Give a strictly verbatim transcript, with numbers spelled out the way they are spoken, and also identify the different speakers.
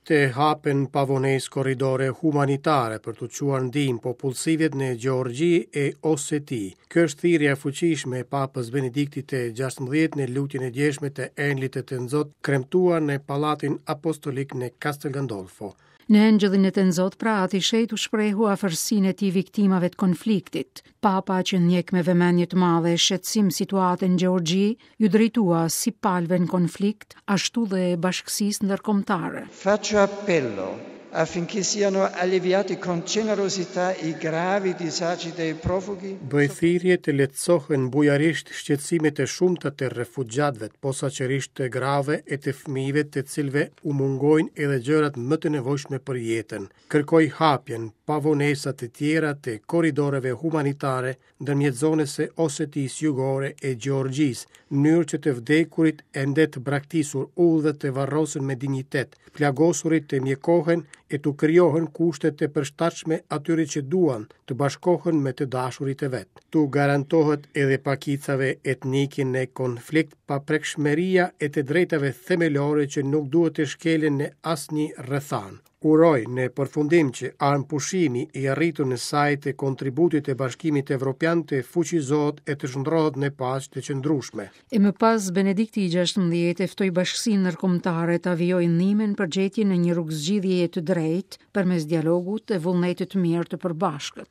Speaker 1: Të hapen pa vonesë korridore humanitare për të çuar ndihmë popullsive në Gjeorgji e Oseti. Kjo është thirrja e fuqishme e Papës Benediktit të gjashtëmbëdhjetë në lutjen e djeshme të Engjëllit të Tënzot, kremtuar në Pallatin Apostolik në Castel Gandolfo.
Speaker 2: Në Engjëllin e Tënzot, pra, Ati i Shenjtë u shprehu afërsinë e tij viktimave të konfliktit. Papa, që ndjek me vëmendje të madhe e shqetësim situatën në Gjeorgji, ju drejtua si palëve në konflikt, ashtu dhe bashkësisë ndërkombëtare.
Speaker 3: Faccio appello affinché siano alleviati con generosità i gravi disagi dei profughi.
Speaker 1: Bëj thirrje të lehtësohen bujarisht shqetësimet e shumta të refugjatëve, posaçërisht të grave e të fëmijëve, të cilëve u mungojnë edhe gjërat më të nevojshme për jetën. Kërkoj hapjen pa vonesa të tjera të korridoreve humanitare ndërmjet zonës së Osetisë Jugore e Gjeorgjisë, në mënyrë që të vdekurit ende të braktisur udhët të varrosen me dinjitet, plagosurit të mjekohen e t'u krijohen kushte të përshtatshme atyre që duan të bashkohen me të dashurit e vet. T'u garantohet edhe pakicave etnike në konflikt paprekshmëria e të drejtave themelore që nuk duhet të shkelen në asnjë rrethanë. Uroj në përfundim që armëpushimi i arritur në sajë të kontributit të Bashkimit Evropian të fuqizohet e të shndrohet në paqe të qëndrueshme.
Speaker 2: E më pas Benedikti i gjashtëmbëdhjetë e ftoi bashkësinë ndërkombëtare ta vijojë ndihmën për gjetjen e një rrugëzgjidhjeje të drejtë përmes dialogut e vullnetit të mirë të përbashkët.